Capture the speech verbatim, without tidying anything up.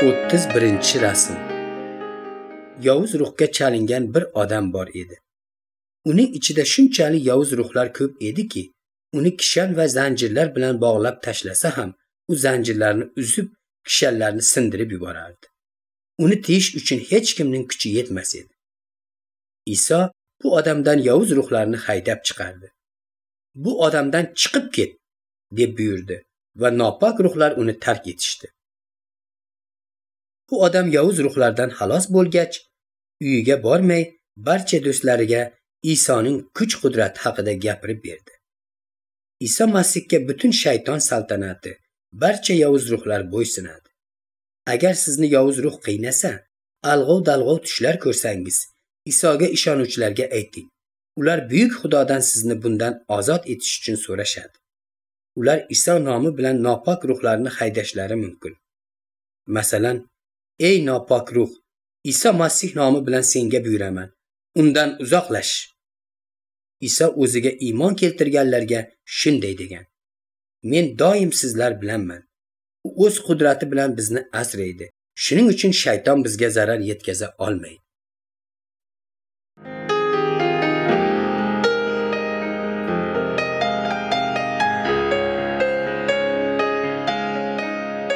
O'ttiz birinchi rasm. Yovuz ruhga chalingan bir odam bor edi. Uning ichida shunchalik yovuz ruhlar ko'p ediki, uni kishan va zanjirlar bilan bog'lab tashlasa ham, u zanjirlarni uzib, kishanlarni sindirib yuborardi. Uni tiyish uchun hech kimning kuchi yetmas edi. Iso bu odamdan yovuz ruhlarni haydab chiqardi. Bu odamdan chiqib ket, deb buyurdi va nopok ruhlar uni tark etishdi. Bu odam yovuz ruhlardan xalos bo'lgach, uyiga bormay, barcha do'stlariga Isoning kuch-qudrati haqida gapirib berdi. Iso Masihga butun shayton saltanati, barcha yovuz ruhlar bo'ysunadi. Agar sizni yovuz ruh qiynasa, alg'ov-dalg'ov tushlar ko'rsangiz, Isoga ishonuvchilarga ayting. Ular buyuk Xudodan sizni bundan ozod etish uchun so'rashadi. Ular Iso nomi bilan nopok ruhlarni haydashlari mumkin. Masalan, ey nopok ruh, Iso Masih nomi bilan senga buyuraman, undan uzoqlash. Iso o'ziga iymon keltirganlarga shunday degan: Men doim sizlar bilanman. U o'z qudrati bilan bizni asraydi. Shuning uchun shayton bizga zarar yetkaza olmaydi.